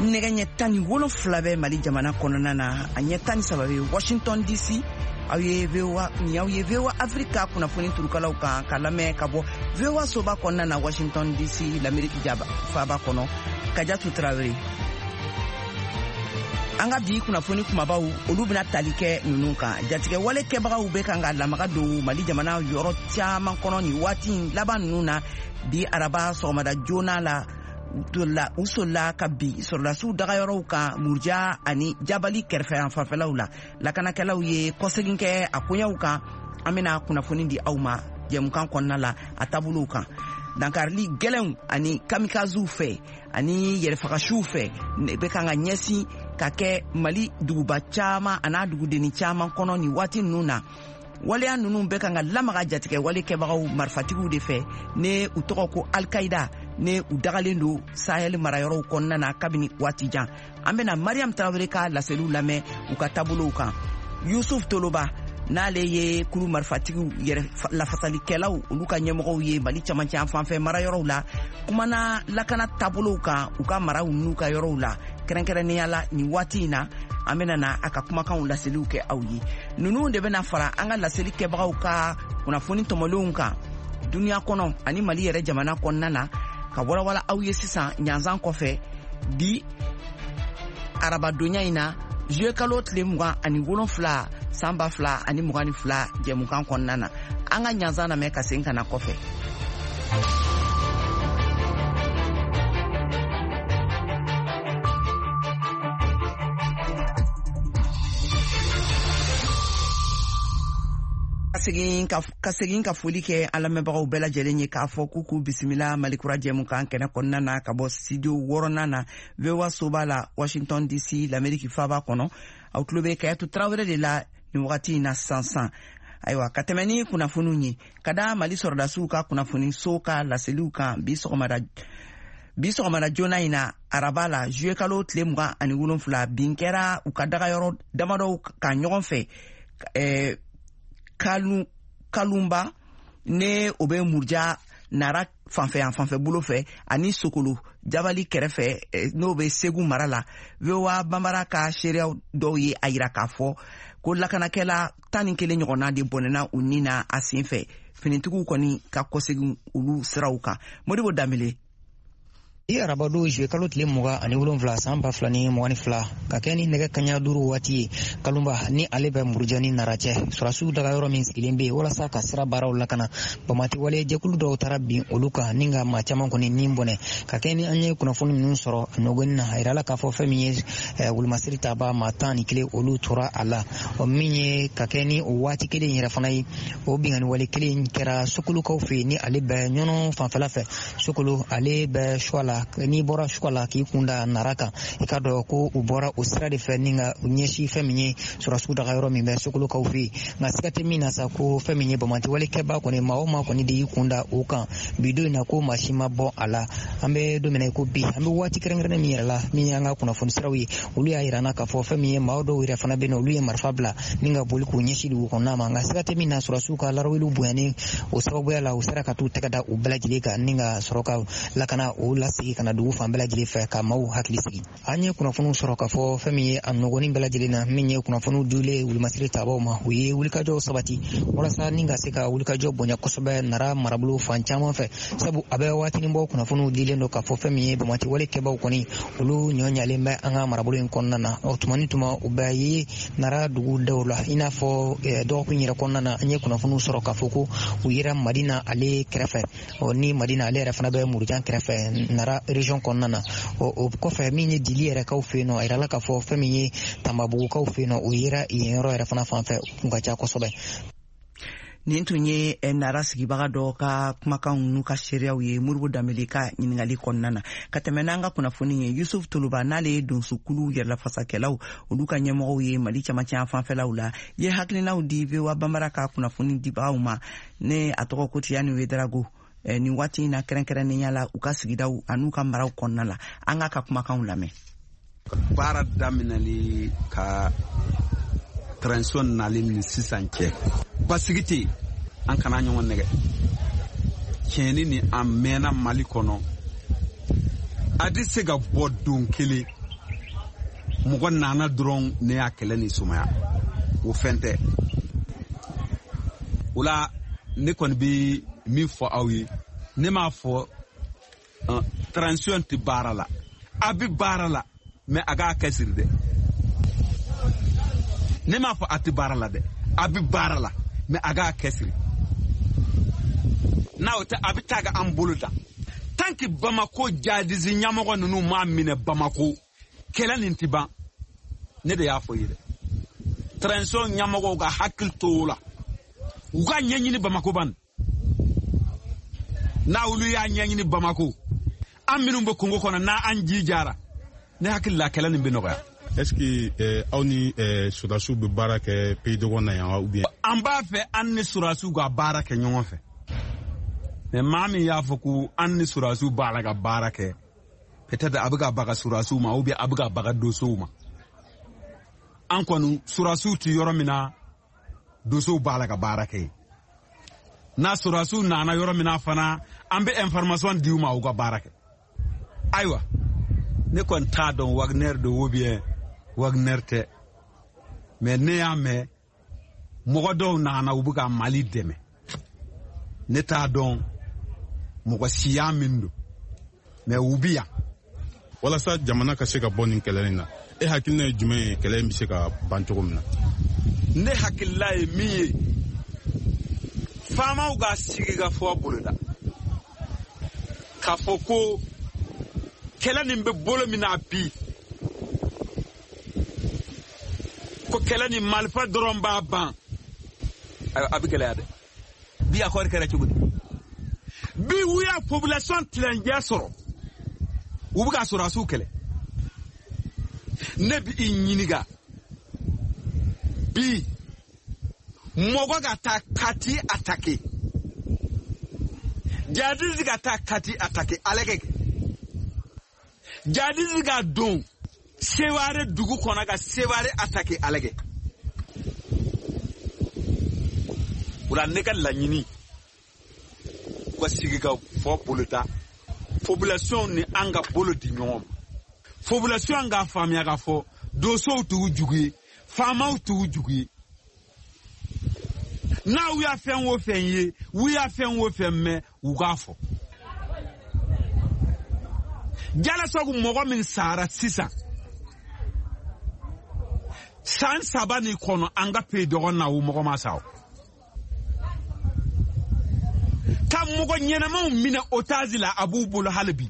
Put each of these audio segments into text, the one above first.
Nɛgɛ ɲɛ 17 bɛ Mali jamana kɔnɔna na, a ɲɛ 13 bɛ Washington DC. Aw ye VOA, nin y'aw ye VOA Afrika kunnafoni turukalaw kan ka lamɛn ka bɔ VOA soba kɔnɔna na Washington DC, l'Amérique jaba faaba kɔnɔ. Kajatu Tarawele. An ka bi kunnafoni kumabaw, olu bɛna tali kɛ ninnu kan. Jatigɛ wale kɛbagaw bɛ kan ka lamaga don Mali jamana yɔrɔ caman kɔnɔ nin waati laban ninnu na. Bi araba sɔgɔmada joona la, u solila ka bin sɔrɔdasiw dagayɔrɔw kan Muruja ani Jabali kɛrɛfɛ yan fanfɛlaw la. Lakanakɛlaw ye kɔsegin kɛ a koɲɛw kan. An bɛna kunnafoni di aw ma jɛmukan kɔnɔna la a taabolow kan. Dankarili gɛlɛnw ani kamikaziw fɛ ani yɛrɛfagasiw fɛ bɛ kan ka ɲɛsin ka kɛ Mali duguba caman an'a dugudenni caman kɔnɔ nin waati ninnu na. Waleya ninnu bɛ kan ka lamaga jatigɛ wale kɛbagaw marifatigiw de fɛ, ne u tɔgɔ ko Alkaida, ne u dagalen don Sahel marayɔrɔw kɔnɔna na kabini waati jan. An bɛna Mariam Tarawele ka laseliw lamɛn u ka taabolow kan. Yusuf Toloba, n'ale ye kulu marifatigiw yɛrɛ lafasalikɛlaw olu ka ɲɛmɔgɔw ye Mali camancɛ yan fanfɛ marayɔrɔw la, kumana lakana taabolow kan u ka maraw n'u ka yɔrɔw la, kɛrɛnkɛrɛnnenya la nin waati in na. An bɛna na a ka kumakanw laseliw kɛ aw ye. Ninnu de bɛna fara an ka laseli kɛbagaw ka kunnafoni tɔmɔlenw kan duniya kɔnɔ ani Mali yɛrɛ jamana kɔnɔna na, ka walawala aw ye sisan ɲanzan kɔfɛ. Bi arabadonya in na, juillet kalo tile 27 san 2022, jɛmukan kɔnɔna na, an ka ɲanzan lamɛn ka segin ka na kɔfɛ. Ka segin ka foli kɛ an lamɛnbagaw bɛɛ lajɛlen ye, k'a fɔ k'u k'u bisimila Malikura jɛmukan kɛnɛ kɔnɔna na ka bɔ studio wɔɔrɔnan na VOA soba la Washington DC, l'Amérique faaba kɔnɔ. Aw tulo bɛ Kayatu Tarawele de la nin wagati in na sisan sisan. Ayiwa, ka tɛmɛ ni kunnafoniw ye, ka da Mali sɔrɔdasiw ka kunnafoniso ka laseliw kan bi sɔgɔmada joona in na, araba la, juillet kalo tile 27, bin kɛra u ka dagayɔrɔ damadɔw kan ɲɔgɔn fɛ kalu Kalunba, ne o bɛ Muruja Nara fanfɛ yan fanfɛ bolo fɛ, ani Sokolo Jabali kɛrɛfɛ, n'o bɛ Segu mara la. VOA Banbara ka seereyaw dɔw ye a yira k'a fɔ ko lakanakɛla 11 ɲɔgɔnna de bɔnɛna u ni na a sen fɛ. Finitigiw kɔni ka kɔsegin olu siraw kan. Modibo Danbele. I arabado juillet kalo tile 27 san 2022, ka kɛ ni nɛgɛ kaɲa 5 waati ye, Kalunba ni ale bɛ Muruja ni Nara cɛ, sɔrɔdasiw daga yɔrɔ min sigilen bɛ yen walasa ka sira baaraw lakana, bamati wale jɛkulu dɔw taara bin olu kan ni ka maa caman kɔni ni bɔnɛ. Ka kɛ ni an ye kunnafoni ninnu sɔrɔ a nɔgɔni na, a yirala k'a fɔ fɛn min ye wulumasiri taba maa 11, olu tora a la. O min ye ka kɛ ni o waati kelen yɛrɛ fana ye, o binkanni wale kelen kɛra Sokolokaw fɛ yen, ni ale bɛ Ɲɔnɔ fanfɛla fɛ. Sokolo ale bɛ Suwa la. N'i bɔra Suwa la k'i kun da Nara kan, i ka dɔn ko u bɔra o sira de fɛ ni ka u ɲɛsin fɛn min ye sɔrɔdasiw daga yɔrɔ min bɛ Sokolokaw fɛ yen. Nka siga tɛ min na sa, ko fɛn min ye bamati wale kɛba kɔni, maa o maa kɔni de y'i kun da o kan bi don in na, ko maa si ma bɔ a la. An bɛ don min na i ko bi, an bɛ waati kɛrɛnkɛrɛnnen min yɛrɛ la, min y'an ka kunnafoni siraw ye, olu y'a yira an na k'a fɔ fɛn min ye maa dɔw yɛrɛ fana bɛ yen nɔ, olu ye marifa bila ni ka boli k'u ɲɛsin dugu kɔnɔna ma. Nka siga tɛ min na, sɔrɔdasiw ka laraweliw bonyani o sababuya la, u sera ka t'u tɛgɛ da u bɛɛ lajɛlen kan ni ka sɔrɔ ka lakana o lasegin ka na dugu fan bɛɛ lajɛlen fɛ, ka maaw hakili sigi. An ye kunnafoniw sɔrɔ k'a fɔ fɛn min ye a nɔgɔnin bɛɛ lajɛlen na, min ye kunnafoniw dilen wulumasiri tabaw ma, u ye wulikajɔw sabati walasa ni ka se ka wulikajɔ bonya kosɛbɛ Nara marabolo fan caman fɛ, sabu a bɛ waatinin bɔ, kunnafoniw dilen don k'a fɔ fɛn min ye bamati wale kɛbaw kɔni, olu ɲɔ ɲalen bɛ an ka marabolo in kɔnɔna na. O tuma ni tuma, u bɛ ye Nara dugu dɔw la, i n'a fɔ dɔgɔkun yɛrɛ kɔnɔna na, an ye kunnafoniw sɔrɔ k'a fɔ ko u yera Madina ale kɛrɛfɛ. Ɔ ni Madina ale yɛrɛ fana bɛ Murujan kɛrɛfɛ Nara région kɔnɔna na. Ɔ o kɔfɛ, min ye Dili yɛrɛ kaw fɛ yen nɔ, a yirala k'a fɔ fɛn min ye Tanbabugukaw fɛ yen nɔ, o yera yen yɔrɔ yɛrɛ fana fan fɛ, u kun ka ca kosɛbɛ. Nin tun ye Nara sigibaga dɔ ka kumakanw n'u ka seereyaw ye Modibo Danbele ka ɲiningali kɔnɔna na. Ka tɛmɛ n'an ka kunnafoni ye, Yusuf Toloba, n'ale ye donsokulu yɛrɛlafasakɛlaw olu ka ɲɛmɔgɔw ye Mali camancɛ fanfɛlaw la, ye hakilinaw di VOA Banbara ka kunnafoni dibagaw ma, ne a tɔgɔ ko Tiyani Wedarago, nin waati in na, kɛrɛnkɛrɛnnenya la u ka sigidaw an'u ka maraw kɔnɔna la. An k'a ka kumakanw lamɛn. Baara daminɛli ka transition nali ni sisan cɛ, basigi tɛ yen. An kana ɲɔgɔn nɛgɛ. Tiɲɛni ni a mɛnna Mali kɔnɔ, a tɛ se ka bɔ don kelen. Mɔgɔ nana dɔrɔn ne y'a kɛlɛ ni sumaya, o fɛn tɛ. O la ne kɔni bɛ min fɔ aw ye, ne m'a fɔ transition tɛ baara la, a bɛ baara la, mais a k'a kɛsiri dɛ. Ne m'a fɔ a tɛ baara la dɛ, a bɛ baara la, mais a k'a kɛsiri. N'a o tɛ, a bɛ taa ka an bolo da. Tant que Bamako jadisi ɲɛmɔgɔ ninnu m'a minɛ Bamako, kɛlɛ nin tɛ ban. Ne de y'a fɔ i ye dɛ. Transition ɲɛmɔgɔw ka hakili to o la, u ka ɲɛɲini Bamako ban. N'a olu y'a ɲɛɲini Bamako, an minnu bɛ kungo kɔnɔ n'an ji jara, ne hakili la kɛlɛ nin bɛ nɔgɔya. Est-ce que aw ni sɔrɔdasiw bɛ baara kɛ pays dɔgɔn na yan ou bien? An b'a fɛ an ni sɔrɔdasiw ka baara kɛ ɲɔgɔn fɛ. Mais maa min y'a fɔ ko an ni sɔrɔdasiw b'a la ka baara kɛ, peut-être a bɛ ka baga sɔrɔdasiw ma ou bien a bɛ ka baga dosow ma. An kɔni sɔrɔdasiw tɛ yɔrɔ min na, dosow b'a la ka baara kɛ. N'a sɔrɔdasiw nana yɔrɔ min na fana, an bɛ information di u ma u ka baara kɛ. Ayiwa, ne kɔni t'a dɔn Wagner don ou bien Wagner tɛ, mais ne y'a mɛn mɔgɔ dɔw nana u bɛ ka Mali dɛmɛ. Ne t'a dɔn mɔgɔ siya min don, mais u bi yan. Walasa jamana ka se ka bɔ nin kɛlɛ in na, e hakilina ye jumɛn ye kɛlɛ in bɛ se ka ban cogo min na? Ne hakilila ye min ye, faamaw ka sigi ka fɔ boloda k'a fɔ ko kɛlɛ nin bɛ bolo min na bi, ko kɛlɛ nin marifa dɔrɔn b'a ban, a bɛ gɛlɛya dɛ. Bi accord kɛra cogo di? Bi u y'a population tilancɛ sɔrɔ, u bɛ ka sɔrɔdasiw kɛlɛ. Ne bɛ i ɲininka bi, mɔgɔ ka taa Kati attaquer, jihadiste ka taa Kati attaquer, ale kɛ jihadiste ka don Seware dugu kɔnɔ ka Seware attaquer, ale kɛ. O la ne ka laɲini, u ka sigi ka fɔ boloda, population ni an ka bolo di ɲɔgɔn ma. Population k'a faamuya k'a fɔ dosow t'u jugu ye, faamaw t'u jugu ye. N'aw y'a fɛn o fɛn ye, u y'a fɛn o fɛn mɛn, u k'a fɔ. Jalasagu mɔgɔ min sara sisan, san 3 nin kɔnɔ an ka pays dɔgɔnin na, o mɔgɔ ma sa o. Ka mɔgɔ ɲɛnamaw minɛ otage la, a b'u bolo hali bi.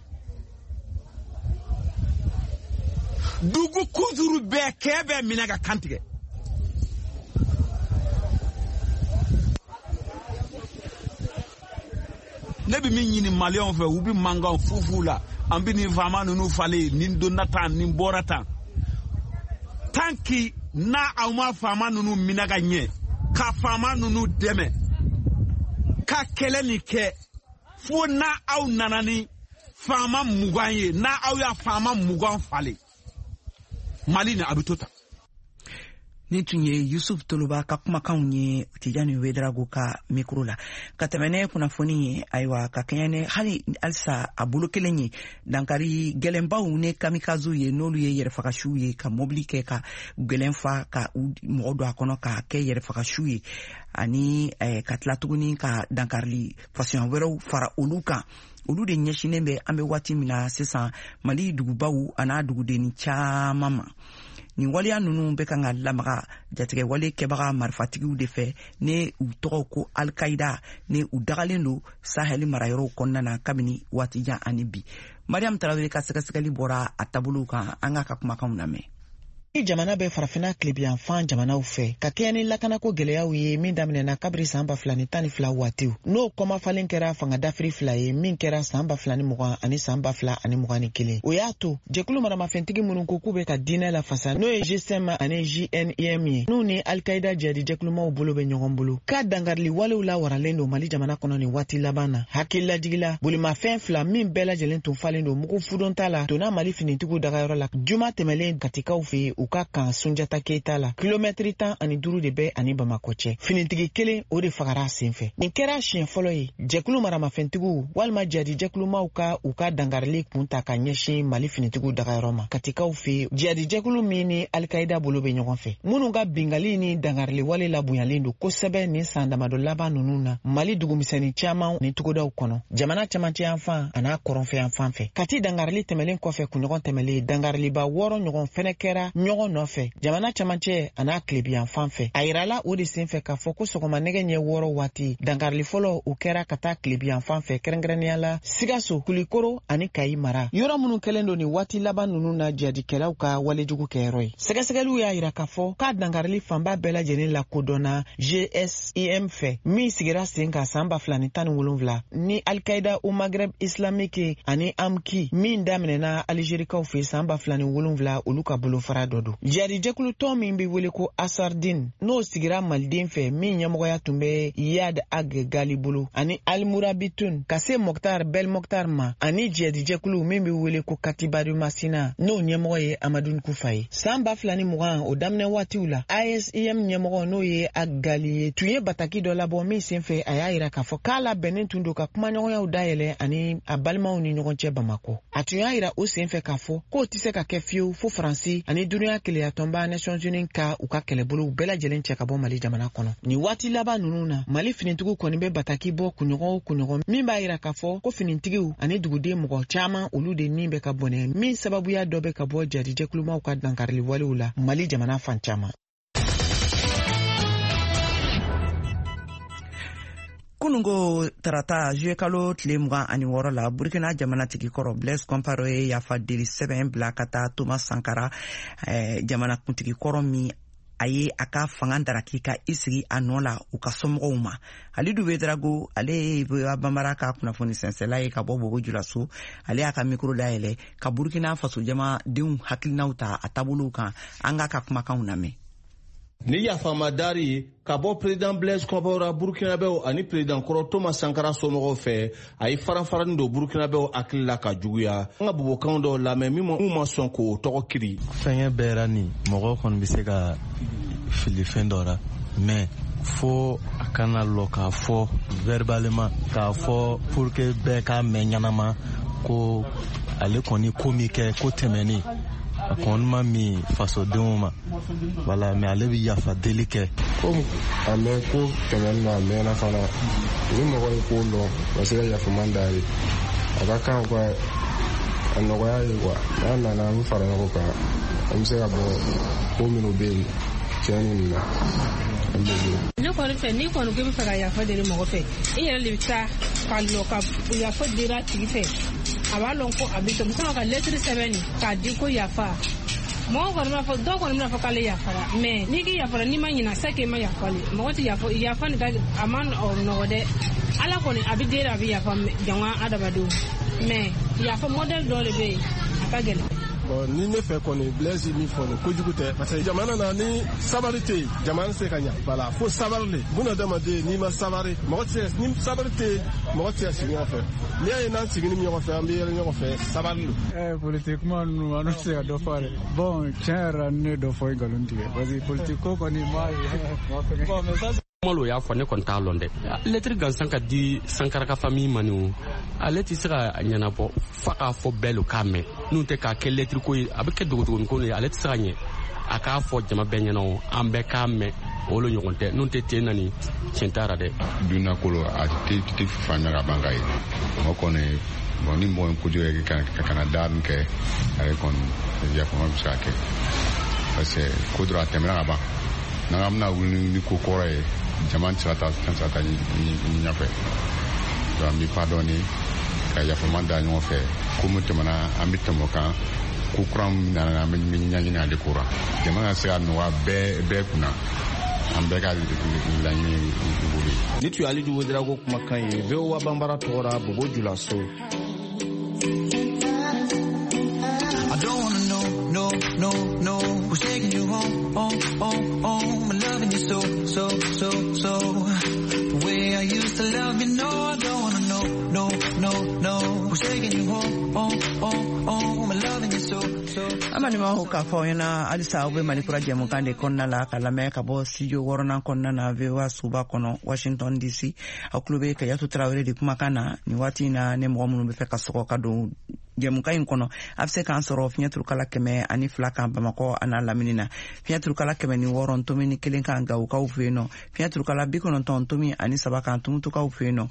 Dugu kuzuru bɛɛ kɛ bɛɛ minɛ ka kan tigɛ. Ne bɛ min ɲini maliyɛnw fɛ, u bɛ mankan fufu la, an bɛ nin faama ninnu falen, nin donna tan, nin bɔra tan. Tant que n'a aw ma faama ninnu minɛ ka ɲɛ, ka faama ninnu dɛmɛ, ka kɛlɛ nin kɛ, fo n'a aw nana ni faama 20 ye, n'a aw y'a faama 20 falen, Mali ni a bɛ to tan. Ni tun ye Yusuf Toloba ka kumakanw ye Tijani Wedrago ka mikro la. Ka tɛmɛ ne kunnafoni ye, ayiwa, ka kɛɲɛ ni hali halisa a bolo kelen ye, dankari gɛlɛnbaw ni kamikazew ye, n'olu ye yɛrɛfagasiw ye, ka mobili kɛ ka gɛlɛn fa ka mɔgɔ don a kɔnɔ ka kɛ yɛrɛfagasiw ye, ani ka tila tuguni ka dankarili fasuya wɛrɛw fara olu kan. Olu de ɲɛsinnen bɛ an bɛ waati min na sisan Mali dugubaw an'a dugudenni caman ma. Nin waleya ninnu bɛ kan ka lamaga jatigɛwale kɛbaga marifatigiw de fɛ, ne u tɔgɔ ko Al-Qaïda, ne u dagalen don Sahel marayɔrɔw kɔnɔna na kabini waati jan ani bi. Mariam Tarawele ka sɛgɛsɛgɛli bɔra a taabolow kan, an k'a ka kumakanw lamɛn. Jamana bɛ farafinna tilebiyanfan jamanaw fɛ ka kɛɲɛ ni lakanako gɛlɛyaw ye min daminɛna kabiri san 2012 waatiw, n'o kɔmafalen kɛra fanga dafiri 2 ye min kɛra san 2020 ani san 2021. O y'a to jɛkulu maramafɛntigi minnu ko k'u bɛ ka diinɛ lafasa, n'o ye GSM ani JNIM ye, n'u ni Al-Qaïda jihadi jɛkulumaw bolo bɛ ɲɔgɔn bolo, ka dankarili walew lawaralen don Mali jamana kɔnɔ nin waati laban na. Hakililajigila bolimafɛn 2 min bɛɛ lajɛlen tun falen don mugu fudonta la donna Mali finitigiw dagayɔrɔ la juma tɛmɛlen Katikaw fɛ yen. u ka kan Sunjata Keyita la. Kilomɛtiri 15 de bɛ ani Bamakɔ cɛ. Finitigi kelen o de fagara a senfɛ. Nin kɛra siɲɛ fɔlɔ ye jɛkulu maramafɛntigiw walima jihadijɛkulumaw ka u ka dankarili kun ta ka ɲɛsin Mali finitigiw dagayɔrɔ ma Katikaw fɛ, jihadijɛkulu min ni Alikaida bolo bɛ ɲɔgɔn fɛ, minnu ka bingali ni dankarili wale labonyalen don kosɛbɛ nin san damadɔ laban ninnu na Mali dugumisɛnnin caman ni togodaw kɔnɔ, jamana camancɛ yanfan an'a kɔrɔnfɛ yanfan fɛ. Kati dankarili tɛmɛlen kɔfɛ kunɲɔgɔn tɛmɛlen, dankariliba 6 ɲɔgɔn fɛnɛ kɛra ɲɔgɔn nɔfɛ jamana camancɛ an'a tilebiyanfan fɛ. A yirala o de senfɛ k'a fɔ ko sɔgɔma nɛgɛ ɲɛ 6 waati, dankarili fɔlɔ o kɛra ka taa tilebiyanfan fɛ, kɛrɛnkɛrɛnnenya la Sikaso, Kulikoro ani Kayi mara, yɔrɔ minnu kɛlen don nin waati laban ninnu na jihadikɛlaw ka walejugu kɛyɔrɔ ye. Sɛgɛsɛgɛliw y'a yira k'a fɔ k'a dankarili fanba bɛɛ lajɛlen lakodɔnna GSIM fɛ, min sigira sen kan san 2017 ni Al-Qaïda au Maghreb islamique ani AMQI min daminɛna Algerikaw fɛ san 2007, olu ka bolofara dɔ don. Jihadijɛkulu tɔn min bɛ wele ko Ansardine, n'o sigira maliden fɛ, min ɲɛmɔgɔya tun bɛ Iyad Ag Gali bolo, ani Al-Murabitun ka se Mokhtar Bel Mokhtar ma, ani jihadijɛkulu min bɛ wele ko Katibadu Masina, n'o ɲɛmɔgɔ ye Amadou Koufa ye. San 2020 o daminɛ waatiw la, ASIM ɲɛmɔgɔ, n'o ye Ag Gali ye, tun ye bataki dɔ labɔ min senfɛ a y'a yira k'a fɔ k'a labɛnnen tun don ka kumaɲɔgɔnyaw dayɛlɛ ani a balimaw ni ɲɔgɔn cɛ Bamakɔ. A tun y'a yira o senfɛ k'a fɔ k'o tɛ se ka kɛ fiyewu fo Faransi ani duniya keleyatɔnba Nations Unies ka u ka kɛlɛbolow bɛɛ lajɛlen cɛ ka bɔ Mali jamana kɔnɔ. Nin waati laban ninnu na, Mali finitigiw kɔni bɛ bataki bɔ kunɲɔgɔn o kunɲɔgɔn, min b'a yira k'a fɔ ko finitigiw ani duguden mɔgɔ caman, olu de ni bɛ ka bɔnɛ, min sababuya dɔ bɛ ka bɔ jadijɛkulumaw ka dankarili walew la Mali jamana fan caman. Kunungo tarata, juillet kalo tile 26 la, Burkina jamanatigi kɔrɔ Blaise Compaoré ye yafa deli sɛbɛn bila ka taa Thomas Sankara, jamanakuntigi kɔrɔ min a ye a ka fanga daraki ka i sigi a nɔ la, u ka somɔgɔw ma. Alidu Ouédraogo, ale ye VOA Bambara ka kunnafoni sɛnsɛla ye ka bɔ Bobo Julaso. Ale y'a ka mikro dayɛlɛ ka Burkina Faso jamadenw hakilinaw ta a taabolow kan. An k'a ka kumakanw lamɛn. Ni yafamadari ka bɔ président Blaise Compaoré Burkinabɛw ani président kɔrɔ Thomas Sankara somɔgɔw fɛ, a ye faranfarani don Burkinabɛw hakili la ka juguya. An ka bobokanw dɔw lamɛn min ma sɔn k'o tɔgɔ kiri. Fɛngɛ bɛɛ ra nin, mɔgɔ kɔni bɛ se ka fili fɛn dɔ ra, mais fo a kana lɔ k'a fɔ verbalement, k'a fɔ pour que bɛɛ k'a mɛn ɲɛnama ko ale kɔni ko min kɛ ko tɛmɛnen, a kɔni ma min fasodenw ma, wala, mais ale bɛ yafa deli kɛ. Komi a mɛn ko tɛmɛnen na, a mɛnna fana, ni mɔgɔ ye ko lɔn ka se ka yafaman d'a ye, a ka kan ka a nɔgɔya ye quoi. N'a nana, an bɛ fara ɲɔgɔn kan, an bɛ se ka bɔ ko minnu bɛ yen tiɲɛni ninnu na, an bɛ bɔ. Ne kɔni fɛ, n'i kɔni ko i bɛ fɛ ka yafa deli mɔgɔ fɛ, i yɛrɛ de bɛ taa ka lɔ ka yafa deli a tigi fɛ. A b'a lɔn ko a bɛ sɔn ka lɛtiri sɛbɛn nin k'a di ko yafa. Mɔgɔ kɔni b'a fɔ, dɔw kɔni bɛna fɔ k'ale yafara, mais n'i k'i yafara, n'i ma ɲina, c'est que i ma yafa le. Mɔgɔ tɛ yafa, yafa nin ka a ma nɔgɔ dɛ. Ala kɔni a bɛ deli, a bɛ yafa jama adamadenw, mais yafa modèle dɔ de bɛ yen, a ka gɛlɛn. Bon, ni ne fɛ kɔni, Blaise min fɔ nin, kojugu tɛ, parce que jamana na, ni sabari tɛ yen, jamana tɛ se ka ɲa. Voilà, fo sabari le. Bunadamaden, n'i ma sabari, mɔgɔ tɛ se, ni sabari tɛ yen, mɔgɔ tɛ se ka sigi ɲɔgɔn fɛ. N'i y'a ye n'an sigini ɲɔgɔn fɛ, an bɛ yɛlɛ ɲɔgɔn fɛ, sabari lo. Politique kuma ninnu, an tɛ se ka dɔ fɔ a la. Bon, tiɲɛ yɛrɛ la, ne ye dɔ fɔ, i nkalon tigɛ, parce que politique ko kɔni m'a ye. Bon, mais ça Malo y'a fɔ, ne kɔni t'a lɔn dɛ. Lɛtiri gansan ka di Sankara ka famille ma nin o, ale tɛ se ka ɲɛnabɔ f'a k'a fɔ bɛɛ lo k'a mɛn. N'u tɛ k'a kɛ lɛtiri ko ye, a bɛ kɛ dogodogonin ko ye, ale tɛ se ka ɲɛ. A k'a fɔ jama bɛɛ ɲɛna o, an bɛɛ k'a mɛn, o lo ɲɔgɔn tɛ. N'u tɛ ten nani, tiɲɛ t'a ra dɛ. Dunnakolo a tɛ faamuya ka ban ka ye mɔgɔ kɔni. Bon, ni mɔgɔ ye kojugu kɛ ka na da min kɛ, ale kɔni yafama bɛ se ka kɛ, parce que ko dɔrɔn a tɛmɛna ka ban. N'an bɛna wuli ni ko kɔrɔ ye, jama tɛ se ka taa, tɛ se ka taa ɲɛfɛ. Donc an bɛ pardonner, ka yafama da ɲɔgɔn fɛ. Ko min tɛmɛna, an bɛ tɛmɛ o kan. Ko kura min nana, an bɛ ɲɛɲini ale ko la, jama ka se ka nɔgɔya bɛɛ bɛɛ kunna. An bɛɛ ka laɲini bolo ye. Ni tun ye Alidu Ouédraogo kumakan ye VOA Bambara tɔgɔ la, Bobo Julaso. I don't wanna know, no, no, no, who's taking you home, home, home, home. I'm loving you so, so, so, so. The way I used to love you, no, I don't wanna know, no, no, no, who's taking you home, home, home, home. I'm loving you so, so. An Balimaw, k'a fɔ aw ɲɛna halisa, aw bɛ Mali Kura jɛmukan de kɔnɔna la, ka lamɛn ka bɔ studio wɔɔrɔnan kɔnɔna na, VOA soba kɔnɔ, Washington DC. Aw tulo bɛ Kajatu Tarawele de kumakan na nin waati in na. Ne mɔgɔ minnu bɛ fɛ ka sɔgɔ ka don jɛmukan in kɔnɔ, a bɛ se k'an sɔrɔ fiɲɛ turukala 102 kan Bamakɔ a n'a lamini na, fiɲɛ turukala 106.1 kan Gawokaw fɛ yen nɔ, fiɲɛ turukala 90.3 kan Tumutukaw fɛ yen nɔ,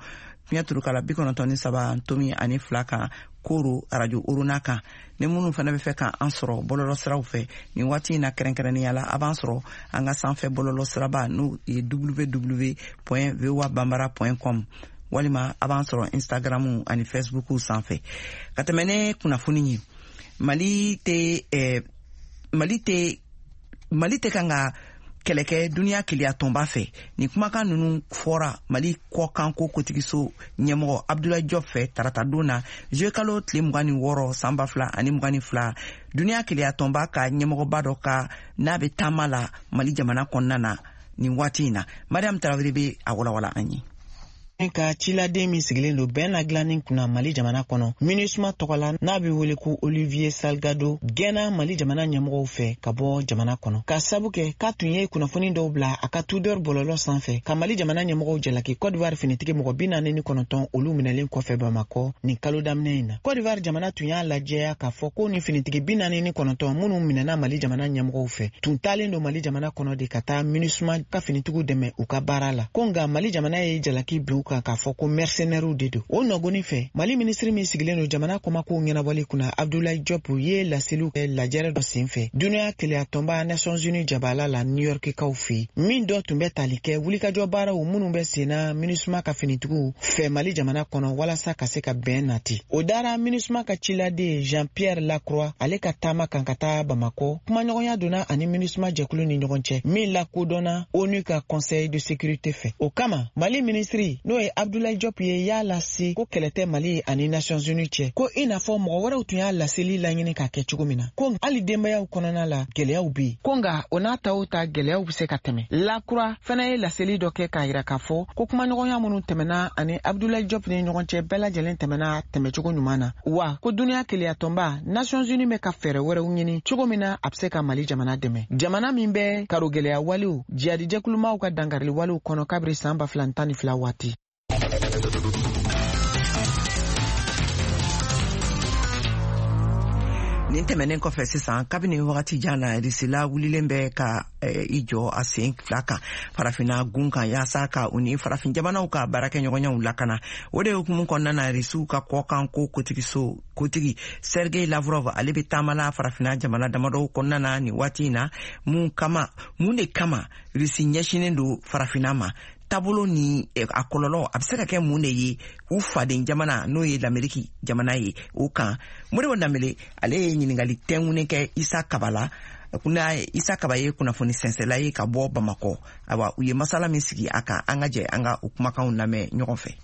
fiɲɛ turukala 93.2 kan Koro Arajo Orona kan. Ni minnu fana bɛ fɛ k'an sɔrɔ bɔlɔlɔ siraw fɛ nin waati in na, kɛrɛnkɛrɛnnenya la, a b'an sɔrɔ an ka sanfɛ bɔlɔlɔ siraba, n'o ye www voa bambara com, walima a b'an sɔrɔ Instagram ani Facebook sanfɛ. Ka tɛmɛ ne kunnafoni ye, Mali tɛ kan ka kɛlɛkɛ duniya keleya tɔnba fɛ. Nin kumakan ninnu fɔra Mali kɔkanko kotigiso ɲɛmɔgɔ Abdoulaye Diop fɛ taratadon na, juillet kalo tile 26 san 2022, duniya keleya tɔnba ka ɲɛmɔgɔba dɔ ka n'a bɛ taama la Mali jamana kɔnɔna na nin waati in na. Mariam Tarawele bɛ a walawala an ye. Ka ciladen min sigilen don bɛn na dilanni kunna Mali jamana kɔnɔ MINUSMA tɔgɔ la, n'a bɛ wele ko Olivier Salgado, gɛnna Mali jamana ɲɛmɔgɔw fɛ ka bɔ jamana kɔnɔ, ka sabu kɛ k'a tun ye kunnafoni dɔw bila a ka Twitter bɔlɔlɔ sanfɛ ka Mali jamana ɲɛmɔgɔw jalaki Cote d'Ivoire finitigi mɔgɔ 49 olu minɛlen kɔfɛ Bamakɔ nin kalo daminɛ in na. Cote d'Ivoire jamana tun y'a lajɛya k'a fɔ ko nin finitigi 49 minnu minɛna Mali jamana ɲɛmɔgɔw fɛ tun taalen don Mali jamana kɔnɔ de ka taa MINUSMA ka finitigiw dɛmɛ u ka baara la, ko nka Mali jamana ye jalaki bin u kan k'a fɔ ko mercenaires de don. O nɔgɔni fɛ, Mali minisiri min sigilen don jamana kɔmakow ɲɛnabɔli kunna, Abdoulaye Diop, ye laseliw kɛ lajɛrɛ dɔ sen fɛ duniya keleya tɔnba Nations Unies jabala la New York kaw fɛ, min dɔ tun bɛ tali kɛ wulikajɔ baaraw minnu bɛ senna MINUSMA ka finitigiw fɛ Mali jamana kɔnɔ walasa ka se ka bɛn nati. O dara MINUSMA ka ciladen Jean Pierre Lacroix ale ka taama kan ka taa Bamakɔ. Kumaɲɔgɔnya donna ani MINUSMA jɛkulu ni ɲɔgɔn cɛ min lakodɔnna ONU ka Conseil de sécurité fɛ. O kama, Mali minisiri, n'o ye Abdoulaye Diop ye, y'a lase ko kɛlɛ tɛ Mali ani Nations Unies cɛ, ko i n'a fɔ mɔgɔ wɛrɛw tun y'a laseli laɲini ka kɛ cogo min na, ko hali denbayaw kɔnɔna la gɛlɛyaw be yen, ko nka o n'a ta o ta, gɛlɛyaw be se ka tɛmɛ. Lacroix fɛnɛ ye laseli dɔ kɛ k'a yira k'a fɔ ko kumaɲɔgɔnya minnu tɛmɛna ani Abdoulaye Diop ni ɲɔgɔn cɛ, bɛɛ lajɛlen tɛmɛna tɛmɛcogo ɲuman na, wa ko duniya keleyatɔnba Nations Unies bɛ ka fɛɛrɛ wɛrɛw ɲini cogo min na a be se ka Mali jamana dɛmɛ, jamana min bɛ karo gɛlɛya walew jihadijɛkulumaw ka dankarili walew kɔnɔ kabiri saan 2012 waati. Nin tɛmɛnen kɔfɛ sisan, kabini wagati jan na, Risila wulilen bɛ ka i jɔ a sen fila kan Farafinna gun kan, yaasa ka u ni farafin jamanaw ka baarakɛɲɔgɔnyaw lakana. O de hukumu kɔnɔna na, Risiw ka kɔkan ko kotigiso kotigi Sergei Lavrov, ale bɛ taamala Farafinna jamana damadɔw kɔnɔna na nin waati in na. Mun kama, mun de kama Risi ɲɛsinen don Farafinna ma? Taabolo ni a kɔlɔlɔ a bɛ se ka kɛ mun de ye u faden jamana, n'o ye Lameriki jamana ye, o kan? Modibo Danbele, ale ye ɲininkali tɛnkunnen kɛ Isa Kaba la. Kuna Isa Kaba ye kunnafoni sɛnsɛla ye ka bɔ Bamakɔ. Ayiwa, u ye masala min sigi a kan, an ka jɛ an ka o kumakanw lamɛn ɲɔgɔn fɛ.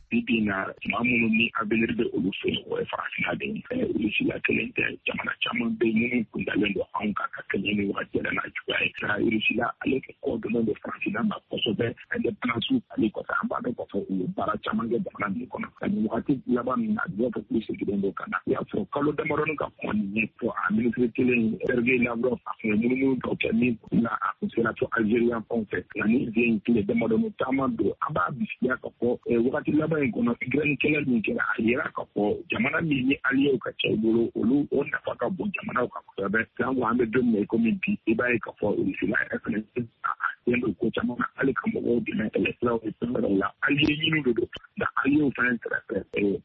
Bi bi na, maa minnu ni avenir bɛ olu fɛ yen, o ye Farafinna de ye. Rusila kelen tɛ, jamana caman bɛ yen minnu kundalen don anw kan ka kɛɲɛ ni wagati yɛrɛ n'a cogoya ye. Nka Rusila, ale kɔ donnen don Farafinna ma kosɛbɛ. Indépendance ale kɔfɛ, an b'a dɔn k'a fɔ u ye baara caman kɛ jamana ninnu kɔnɔ. Nka nin wagati laban min na, a bɛ fɔ k'u seginnen don ka na. I y'a sɔrɔ kalo damadɔni ka kɔn nin ɲɛ fɔ, a minisiri kelen Sergei Lavrov, a tun ye munumunu dɔw kɛ min na, a tun sera fo Algérie fanw fɛ. Nka ni den tile damadɔni taama don, an b'a bisigiya k'a fɔ wagati laban in kɔnɔ, Ukraine kɛlɛ min kɛra, a yira k'a fɔ jamana min ni alliés ka ca i bolo, olu o nafa ka bon jamanaw kan kosɛbɛ. Donc an bɛ don min na i komi bi, i b'a ye k'a fɔ Rusila yɛrɛ fɛnɛ a sen don ko caman na, hali ka mɔgɔw dɛmɛ kɛlɛsiraw ni fɛn wɛrɛw la. Allié ɲini de don, nka alliés fɛnɛ kɛrɛfɛ,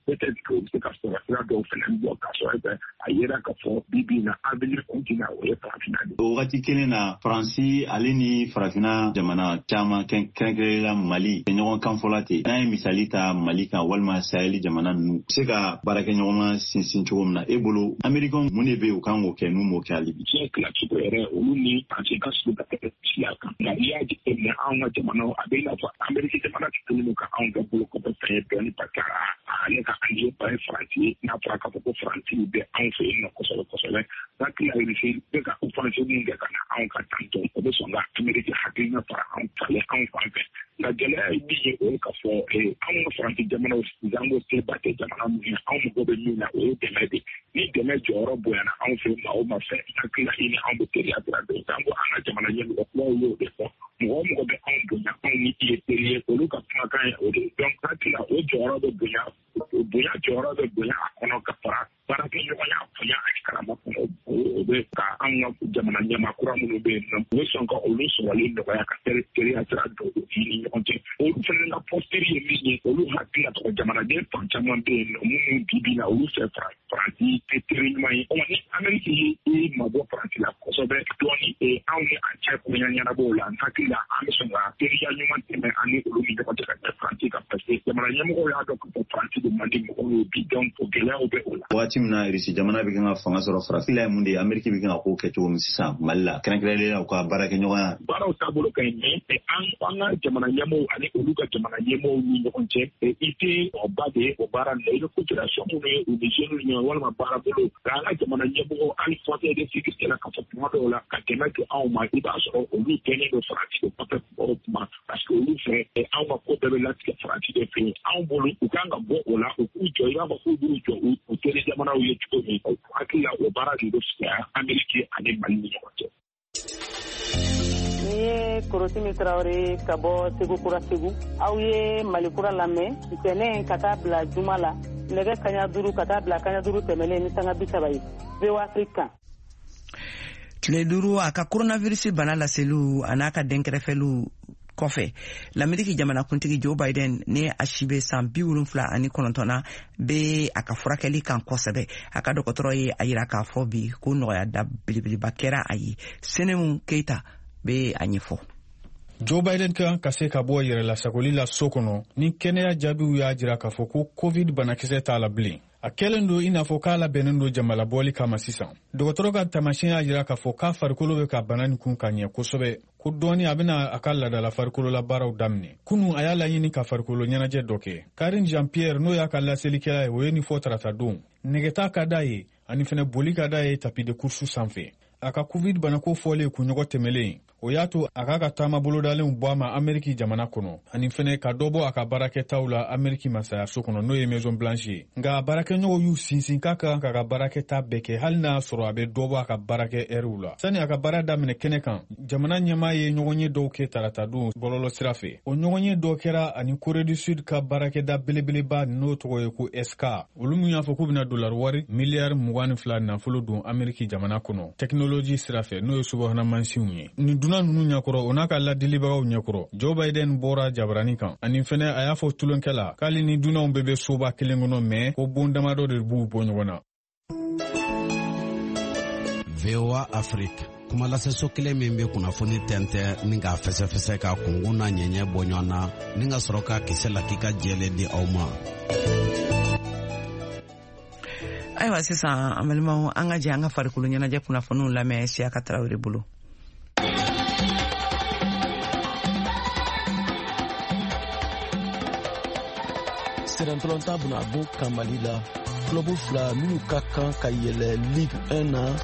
peut-être que u bɛ se ka sɔrɔ sira dɔw fɛnɛ bɔ k'a sɔrɔ a yera k'a fɔ bi bi in na, avenir continent, o ye Farafinna de. O wagati kelen na, Faransi ale ni Farafinna jamana caman, kɛrɛnkɛrɛnla Mali, ɲɔgɔn kan fɔla ten. N'an ye misali ta Mali kan walima Saheli jamana ninnu, se ka baarakɛɲɔgɔnma sinsin cogo min na, e bolo, Américain, mun de bɛ yen u kan k'o kɛ n'u m'o kɛ hali bi? Diɲɛ tilacogo yɛrɛ, olu ni Faransi ka surun ka tɛmɛ siya kan. Nka n'i y'a jateminɛ, anw ka jamanaw, a bɛ i n'a fɔ Amérique jamana kelen don ka anw kɛ bolo kɔfɛ fɛn ye dɔɔni, parce que ale ka allié ba ye Faransi ye. N'a fɔra k'a fɔ ko Faransi bɛ anw fɛ yen nɔ kosɛbɛ kosɛbɛ, hakili la Russie bɛ ka offensive min kɛ ka na anw ka tantɔ, o bɛ sɔn ka Amérique hakilina fara anw falen anw fan fɛ. Nka gɛlɛya ye min ye, o ye k'a fɔ anw ka Faransi jamanaw sanko seba tɛ jamana minnu ye, anw mago bɛ min na, o ye dɛmɛ de. Ni dɛmɛ jɔyɔrɔ bonyana anw fɛ, maa o maa fɛ, n hakili la i ni anw bɛ teriya sira dɔn. Sanko an ka jamana ɲɛmɔgɔ kuraw y'o de fɔ, mɔgɔ o mɔgɔ bɛ anw bonya, anw ni i ye teri ye, olu ka kumakan ye o de ye. Donc hakili la, o jɔyɔrɔ bɛ bonya, o bonya jɔyɔrɔ bɛ bonya a kɔnɔ ka fara baarakɛɲɔgɔnya bonya ani karama kɔnɔ. O bɛ ka anw ka jamana ɲɛmaa kura minnu bɛ yen nɔ, u bɛ sɔn ka olu sɔrɔli nɔgɔya ka teriya sira don u ni ɲɔgɔn cɛ. Olu fana ka posture ye min ye, olu hakili la tɔgɔ jamanaden fan caman bɛ yen nɔ minnu bi bi na, olu fɛ Faransi tɛ teri ɲuman ye. Ɔ ni Ameriki ye i mabɔ Faransi la kosɛbɛ dɔɔni, anw ni a cɛ koɲa ɲɛnabɔw la, n hakili la an bɛ sɔn ka teriya ɲuman tɛmɛ an ni olu ni ɲɔgɔn cɛ ka tɛmɛ Faransi kan, parce que jamana ɲɛmɔgɔw y'a dɔn k'a fɔ Faransi de man di mɔgɔw ye bi. Donc o gɛlɛyaw bɛ o la. Waati min na Irisi jamana bɛ kan ka fanga sɔrɔ Faransi la ye mun de ye, Ameriki bɛ kan ka ko kɛ cogo min sisan Mali la, kɛrɛnkɛrɛnnenya la u ka baarakɛɲɔgɔnya. Baaraw taabolo ka ɲi, mais an ka jamana ɲɛmɔgɔw ani olu ka jamana ɲɛmɔgɔw ni ɲɔgɔn cɛ, i tɛ ba de ye o baara ninnu, i bɛ coopération minnu ye u ni jeunes ni ɲɔgɔn walima baarabolo. Nka an ka jamana ɲɛmɔgɔw, hali conseil de sécurité la, k'a fɔ tuma dɔw la ka dɛmɛ don anw ma, i b'a sɔrɔ olu kɛlen don Faransi de kɔfɛ kuma o kuma, parce que olu fɛ anw ka ko bɛɛ bɛ latigɛ Faransi de fɛ yen. Anw bolo, u kan ka bɔ o la, u k'u jɔ i b'a fɔ k'u b'u jɔ u teri jamanaw ye cogo min. U hakili la, o baara de bɛ fisaya Ameriki ani Mali ni ɲɔgɔn cɛ. Ni ye Korotimi Tarawele ka bɔ Segu Kura Segu. Aw ye Mali Kura lamɛn ntɛnɛn ka taa bila juma la, nɛgɛ kaɲa 5 ka taa bila kaɲa 5 tɛmɛnen ni sanga 30 ye, VOA Afrique kan. Tile 5 a ka coronavirus bana laseliw a n'a ka dɛnkɛrɛfɛliw kɔfɛ, Lameriki jamanakuntigi Joe Biden, ni a si bɛ san 79 na, bɛ a ka furakɛli kan kosɛbɛ. A ka dɔgɔtɔrɔ ye a yira k'a fɔ bi ko nɔgɔya da belebeleba kɛra a ye. Senemu Keita bɛ a ɲɛfɔ. Joe Biden kan ka se ka bɔ yɛrɛlasagoli la so kɔnɔ ni kɛnɛya jaabiw y'a jira k'a fɔ ko COVID banakisɛ t'a la bilen. A kɛlen don i n'a fɔ k'a labɛnnen don jamalabɔli kama sisan. Dɔgɔtɔrɔ ka taamasiyɛn y'a jira k'a fɔ k'a farikolo bɛ ka bana nin kun ka ɲɛ kosɛbɛ, ko dɔɔni a bɛna a ka ladala farikolola baaraw daminɛ. Kunu, a y'a laɲini ka farikolo ɲɛnajɛ dɔ kɛ. Karine Jean Pierre, n'o y'a ka laselikɛla ye, o ye nin fɔ tarata don. Nɛgɛta ka d'a ye ani fɛnɛ boli ka d'a ye tapis de course sanfɛ. A ka COVID banako fɔlen kunɲɔgɔn tɛmɛlen, o y'a to a k'a ka taama bolodalenw bɔ a ma Ameriki jamana kɔnɔ, ani fɛnɛ ka dɔ bɔ a ka baarakɛtaw la Ameriki masayaso kɔnɔ, n'o ye Maison Blanche ye. Nka baarakɛɲɔgɔnw y'u sinsin k'a ka kan k'a ka baarakɛta bɛɛ kɛ, hali n'a sɔrɔ a bɛ dɔ bɔ a ka baarakɛ ɛriw la. Sani a ka baara daminɛ kɛnɛ kan, jamana ɲɛmaa ye ɲɔgɔnye dɔw kɛ taratadon bɔlɔlɔ sira fɛ. O ɲɔgɔnye dɔ kɛra ani Corée du Sud ka baarakɛda belebeleba, n'o tɔgɔ ye ko SK, olu min y'a fɔ k'u bɛna dolari wari miliyari 22 nafolo don Ameriki jamana kɔnɔ tɛkinoloji sira fɛ, n'o ye subahana mansinw ye. Nin dunan ninnu ɲɛkɔrɔ, o n'a ka ladilibagaw ɲɛkɔrɔ, Joe Biden bɔra jabarani kan, ani fɛnɛ a y'a fɔ tulonkɛ la k'ale ni dunanw bɛɛ bɛ soba kelen kɔnɔ, mɛ ko bon damadɔ de b'u bɔ ɲɔgɔn na. VOA Afrique, kumalaseso kelen min bɛ kunnafoni tɛntɛn ni k'a fɛsɛfɛsɛ, ka kunkun n'a ɲɛɲɛ bɔ ɲɔgɔn na, ni ka sɔrɔ ka kisɛ lakika jɛlen di aw ma. Ayiwa, sisan an balimaw, an ka jɛ an ka farikolo ɲɛnajɛ kunnafoniw lamɛn Siyaka Tarawele bolo. Sennantolatan bɛna bɔ kan Mali la. Club fila minnu ka kan ka yɛlɛ Ligue 1 na,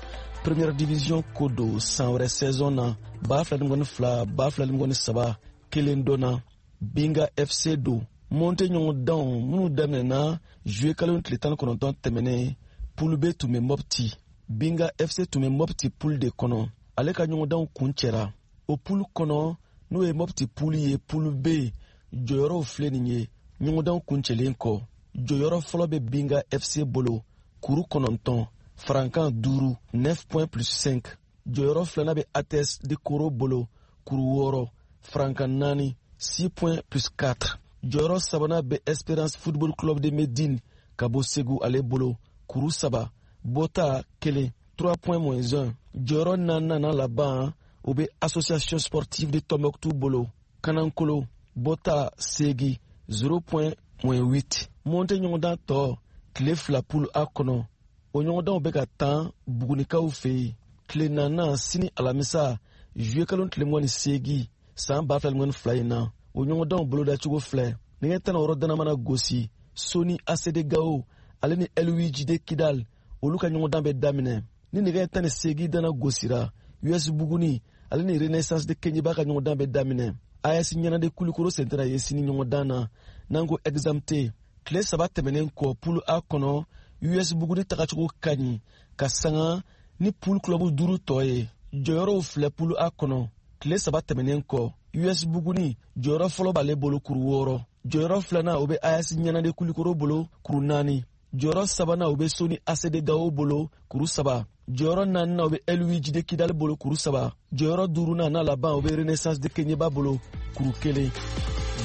première division ko don, san wɛrɛ saison na 2022 2023, kelen dɔnna, Binga FC don. Montée ɲɔgɔndanw minnu daminɛna juillet kalo tile 19 tɛmɛnen, poule B tun bɛ Mopti. Binga FC tun bɛ Mopti poule de kɔnɔ. Ale ka ɲɔgɔndanw kun cɛra. O poule kɔnɔ, n'o ye Mopti poule ye, poule B jɔyɔrɔw filɛ nin ye. Ɲɔgɔndanw kuncɛlen kɔ, jɔyɔrɔ fɔlɔ bɛ Binga FC bolo, kuru 9, farankan 5, 9 points plus 5. Jɔyɔrɔ filanan bɛ ATS de Koro bolo, kuru 6, farankan 4, 6 points plus 4. Jɔyɔrɔ sabanan bɛ Espérance Football Club de Medine ka bɔ Segu, ale bolo, kuru 3, bɔta 1, 3 points moins 1. Jɔyɔrɔ naaninan n'a laban, o bɛ Association sportive de Tombouctou bolo, kanankolo, bɔta 8, 0 point moins 8. Montée ɲɔgɔndan tɔ tile 2 poule A kɔnɔ, o ɲɔgɔndanw bɛ ka tan Bugunikaw fɛ yen. Tile naaninan, sini alamisa, juillet kalo tile 28 san 2022 in na, o ɲɔgɔndanw bolodacogo filɛ: nɛgɛ 16 dana mana gosi, Soni ACD Gao ale ni LUJD Kidal, olu ka ɲɔgɔndan bɛ daminɛ. Ni nɛgɛ 18 dana gosira, US Buguni ale ni Renaissance de Keɲeba ka ɲɔgɔndan bɛ daminɛ. AS Ɲanade Kulikoro sentara ye sini ɲɔgɔndan na n'an ko exam T. Tile 3 tɛmɛnen kɔ poule A kɔnɔ, US Buguni tagacogo ka ɲi ka sanga ni poule club 5 tɔ ye. Jɔyɔrɔw filɛ poule A kɔnɔ. Tile 3 tɛmɛnen kɔ, US Buguni jɔyɔrɔ fɔlɔ b'ale bolo kuru 6. Jɔyɔrɔ filanan o bɛ AS Ɲanade Kulikoro bolo kuru 4. Jɔyɔrɔ sabanan o bɛ Soni ACD Gawo bolo kuru 3. Jɔyɔrɔ naaninan o bɛ LUJD Kidali bolo kuru 3. Jɔyɔrɔ duurunan n'a laban o bɛ Renaissance de Keɲeba bolo kuru 1.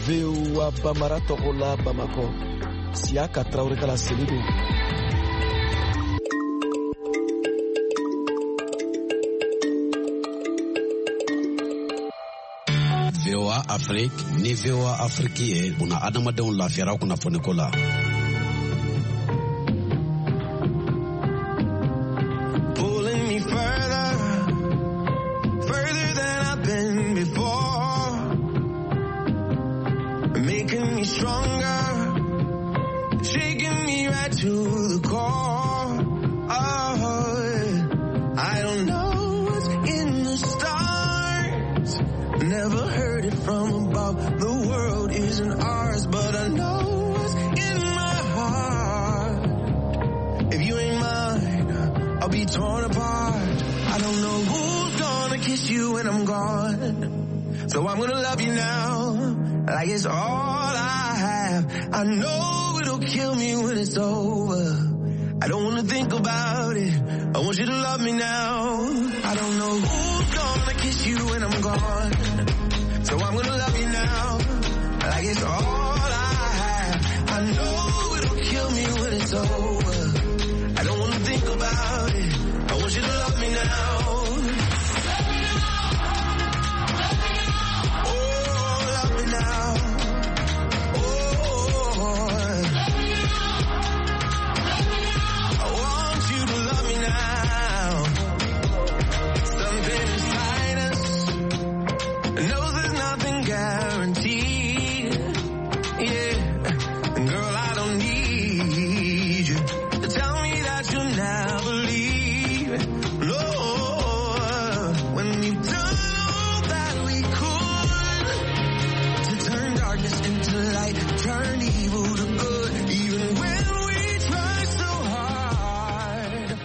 VOA Bambara tɔgɔ la Bamakɔ, Siyaka Tarawele ka laseli don. VOA Afrique ni VOA Afrique ye buna adamadenw lafiyara kunnafoniko la. Pulling me further, further than I've been before, making me stronger, shaking me right to the core. Oh, I don't know what's in the stars, never heard it from above. The world isn't ours, but I know what's in my heart. If you ain't mine, I'll be torn apart. I don't know who's gonna kiss you when I'm gone, so I'm gonna love you now, like it's all I have. I know it'll kill me when it's over. I don't wanna think about it. I want you to love me now. I don't know who's gonna kiss you when I'm gone, so I'm gonna love you now, like it's all I have. I know it'll kill me when it's over. I don't wanna think about it. I want you to love me now. Oh, love me now. Oh, I want you to love me now. Something inside us knows there's nothing guaranteed. Yeah, and girl, I don't need you to tell me that you'll never leave. No, when we've done all that we could to turn darkness into light, turn evil to good, even when we try so hard.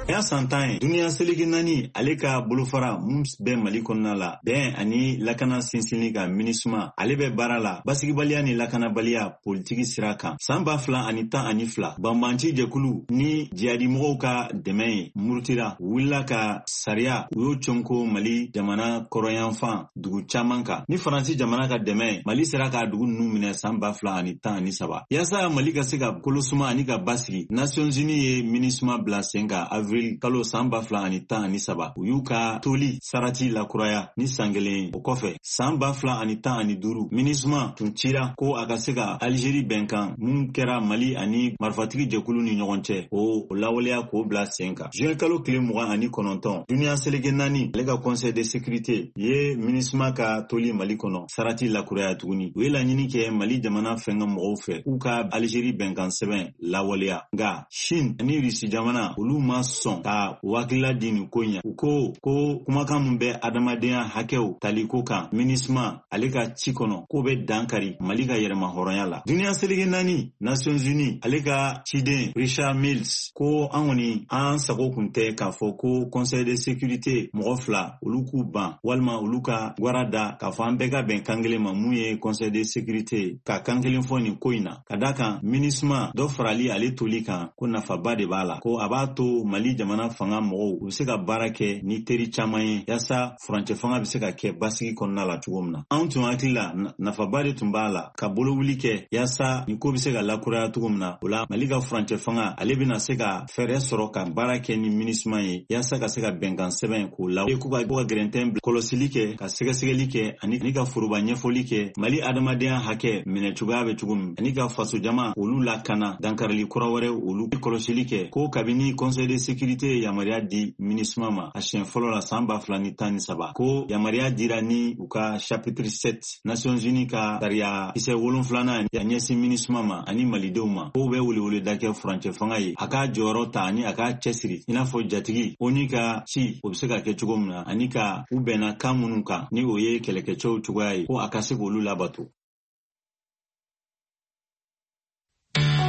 Ya san 10 ye duniya seleke 4 ale ka bolofara mun bɛ Mali kɔnɔna la, bɛn ani lakana sinsinni ka MINUSMA ale bɛ baara la basigibaliya ni lakanabaliya politiki sira kan. San 2012 banbanci jɛkulu ni jihadimɔgɔw ka dɛmɛ ye murutira wulila ka sariya u y'o conko Mali jamana kɔrɔyanfan dugu caman kan. Ni Faransi jamana ka dɛmɛ ye, Mali sera k'a dugu ninnu minɛ san 2013. Yaasa Mali ka se ka kolosuma ani ka basigi, Nations Unies ye MINUSMA bila sen kan avril kalo san 2013. U y'u ka toli sarati lakuraya ni san kelen ye. O kɔfɛ san 2015 MINUSMA tun cira ko a ka se ka Algérie bɛnkan mun kɛra Mali ani marifatigi jɛkulu ni ɲɔgɔn cɛ o lawaleya k'o bila sen kan. Juin kalo tile 29 duniya seleke 4 ale ka conseil de sécurité ye MINUSMA ka toli Mali kɔnɔ sarati lakuraya tuguni. U ye laɲini kɛ Mali jamana fɛnkɛ mɔgɔw fɛ k'u ka Algérie bɛnkan sɛbɛn lawaleya. Nka Chine ani Russie jamana olu ma sɔn ka wakila di nin ko ɲɛ. U ko ko kumakan min bɛ adamadenya hakɛw taliko kan MINUSMA ale ka ci kɔnɔ k'o bɛ dankari Mali ka yɛrɛma hɔrɔnya la. Duniya seleke 4 Nations Unies ale ka ciden Richard Mills ko an kɔni an sago kun tɛ k'a fɔ ko Conseil de sécurité mɔgɔ 2 olu k'u ban walima olu ka gwara da k'a fɔ an bɛɛ ka bɛn kan kelen ma mun ye Conseil de sécurité ka kan kelen fɔ nin ko in na. Ka da kan MINUSMA dɔ farali ale toli kan ko nafaba de b'a la, ko a b'a to Mali jamana fanga mɔgɔw u bɛ se ka baara kɛ ni teri caman ye yaasa furancɛ fanga bɛ se ka kɛ basigi kɔnɔna la cogo min na. Anw tun hakili la nafaba de tun b'a la ka bolowuli kɛ yaasa nin ko bɛ se ka lakuraya cogo min na. O la Mali ka furancɛ fanga ale bɛna se ka fɛɛrɛ sɔrɔ ka baara kɛ ni MINUSMA ye yaasa ka se ka bɛnkan sɛbɛn k'o la k'u ka gɛrɛntɛn kɔlɔsili kɛ, ka sɛgɛsɛgɛli kɛ ani ka foroba ɲɛfɔli kɛ Mali adamadenya hakɛ minɛ cogoya bɛ cogo min, ani ka fasojama olu lakana dankarili kura wɛrɛ olu kɔlɔsili kɛ. Ko kabini Conseil de sécurité sécurité ye yamaruya di MINUSMA ma a siɲɛ fɔlɔ la san 2013, ko yamaruya dira ni u ka chapitre 7, Nations Unies ka sariya kisɛ wolonfilanan a ɲɛsin MINUSMA ma ani malidenw ma, k'o bɛ weleweleda kɛ furancɛ fanga ye, a k'a jɔyɔrɔ ta ani a k'a cɛsiri i n'a fɔ jatigi ONU ka ci, o bɛ se ka kɛ cogo min na, ani ka u bɛnna kan minnu kan, ni o ye kɛlɛkɛcɛw cogoya ye, ko a ka se k'olu labato.